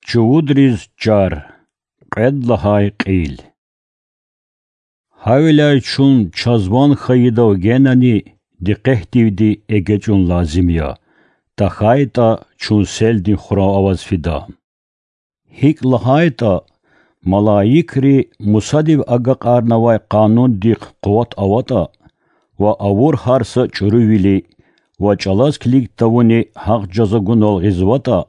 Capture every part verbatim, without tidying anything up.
Чувудриз чар. Кьвед лагьай кьил. Гьавиляй чун чаз ван хьайидав генани дикъетдивди эгечӀун лазим я, тахьайтӀа чун селдин хурав аваз фида. ГьикӀ лагьайтӀа, малаикри Мусадив агакьарнавай къанундихъ къуват аватӀа ва авур гьар са чӀурувили ва чӀалаз килиг тавуни гьахъ жаза гунал гъизватӀа,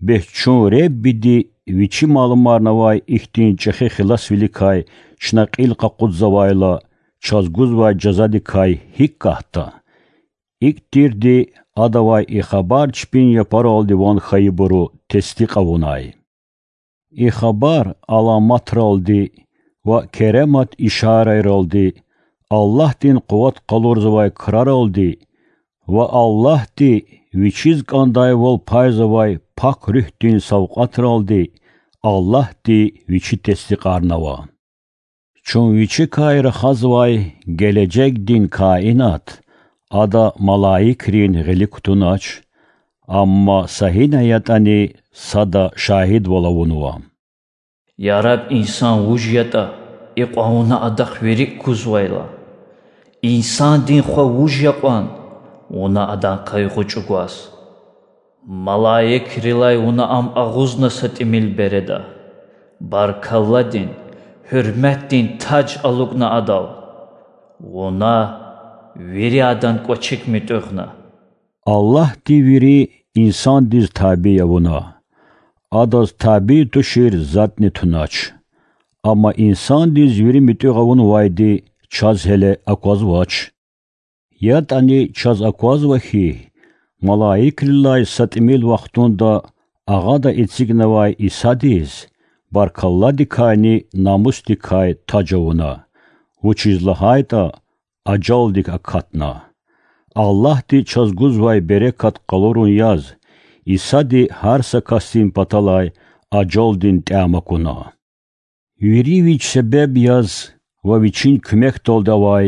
бес чун Реббиди Вичи малумарнавай ихьтин чӀехи хиласвиликай чна кьил къакъудзавайла, чаз гузвай жазадикай гьикӀ катда? ИкӀ тирди Адавай и хабар чпин япаралди ван хьайибуру тестикь авунай. И хабар аламатралди ва керемат ишарайралди, Аллагьдин къуват къалурзавай краралди ва Аллагьди Вичиз кӀандайвал пайзавай Пак Руьгьдин савкьватралди Аллагьди Вичи тестикьарнава. Чун Вичикай рахазвай гележегдин каинат, Ада малаикрин гъилик кутунач, амма са гьина ятӀани сада шагьидвал авунва. Я Раб, инсан вуж ятӀа, икьван вуна адахъ вири кузвайла? Инсандин хва вуж я кьван, вуна адан къайгъу чӀугваз? Малаикрилай вуна ам агъузна са тӀимил береда, баркалладин, гьуьрметдин таж алукӀна адал. Вуна вири адан кӀвачик муьтӀуьгъна. Аллагьди вири инсандиз табий авуна. Адаз табий тушир затӀни тунач. Амма инсандиз вири муьтӀуьгъ авунвайди чаз гьеле аквазвач. ЯтӀани чаз аквазва хьи, малаикрилай са тӀимил вахтунда Агъада эцигнавай Исадиз баркалладикайни намусдикай таж авуна, вучиз лагьайтӀа ажалдик акатна. Аллагьди чаз гузвай берекат къалурун яз, Исади гьар са касдин паталай ажалдин тӀям акуна. Вири Вич себеб яз ва Вичин куьмекдалди авай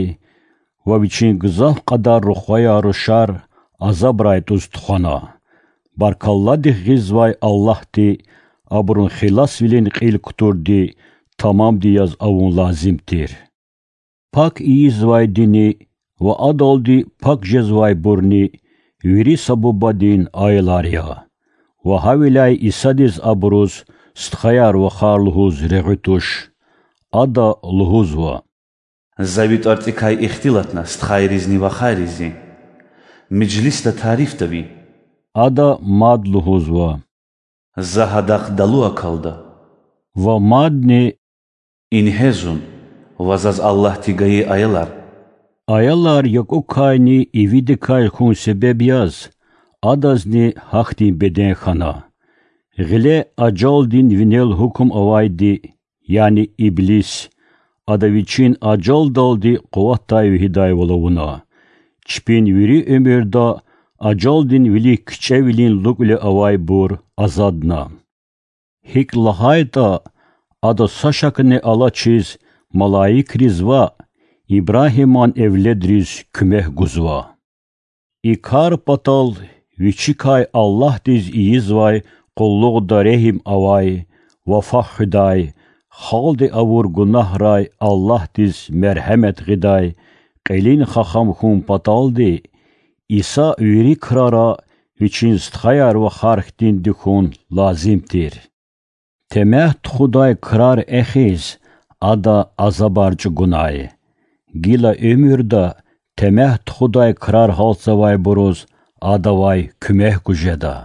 ва Вичин гзаф кьадар рухваяр-рушар азабрай тӀуз тухвана. Баркалладихъ гъизвай Аллагьди абурун хиласвилин кьил кутурди тамамди яз авун лазим тир. Пак ийизвайдини ва адалди пак жезвайбурни вири са Бубадин аялар я. Ва гьавиляй Исадиз абуруз стхаяр-вахар лугьуз регъуь туш. Ада лугьузва: За Ви тӀварцӀикай ихтилатна стхайризни вахаризни. Межлисда тарифда Ви. Ада мад лугьузва: За гьадахъ далу акалда. Ва мадни: Ингье зун ва заз Аллагьди гайи аялар. Аялар якӀукайни ивидикай хьун себеб яз, адазни гьахьтин беден хьана. Гъиле ажалдин винел гьукум авайди, яни иблис, ада вичин ажалдалди къуватдай вегьидайвал авуна. Чпин вири уьмуьрда ажалдин вилик кичӀевилин лукӀуьла авайбур азадна. ГьикӀ лагьайтӀа, ада са шакни алачиз малаикриз ваъ, Ибрагьиман эвледриз куьмек гузва. И кар патал вичикай Аллагьдиз ийизвай къуллугъда регьим авай, вафа хуьдай, халкьди авур гунагьрай Аллагьдиз мергьемет гъидай кьилин хахам хьун паталди, Иса вири крара вичин стхаяр-вахар хьтинди хьун лазим тир. Темягь тухудай крар эхиз, ада азабар чӀугунай. Гила уьмуьрда темягь тухудай крар гьалтзавайбуруз адавай куьмек гуз жеда.